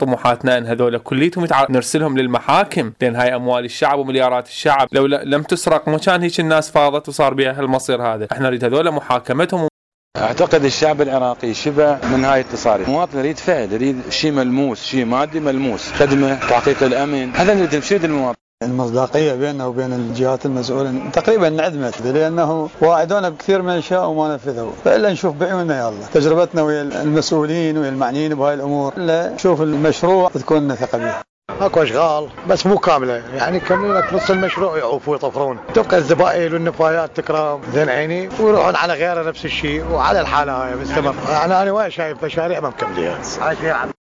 طموحاتنا ان هذول كليتهم نرسلهم للمحاكم، لان هاي اموال الشعب ومليارات الشعب، لو لم تسرق ما كان هيك الناس فاضت وصار بها هالمصير هذا. احنا نريد هذول محاكمتهم. اعتقد الشعب العراقي شبع من هاي التصاريح، المواطن يريد فعل، يريد شيء ملموس، شيء مادي ملموس، خدمه، تحقيق الامن، هذا نريد نشيد المواطن. المصداقية بيننا وبين الجهات المسؤولة تقريبا انعدمت، لأنه واعدونا بكثير من الأشياء وما نفذوا، فإلا نشوف بعيوننا يا الله تجربتنا ويا المسؤولين ويا المعنيين بهاي الأمور، إلا نشوف المشروع تكون لنا ثقة به. اكو اشغال بس مو كامله، يعني يكملون لك نص المشروع يعوفوا ويطفرون، تبقى الزبائن والنفايات تكرم زين عيني ويروحون على غيره نفس الشيء وعلى الحاله هاي مستمر. يعني انا وين شايف مشاريع ما مكمليها.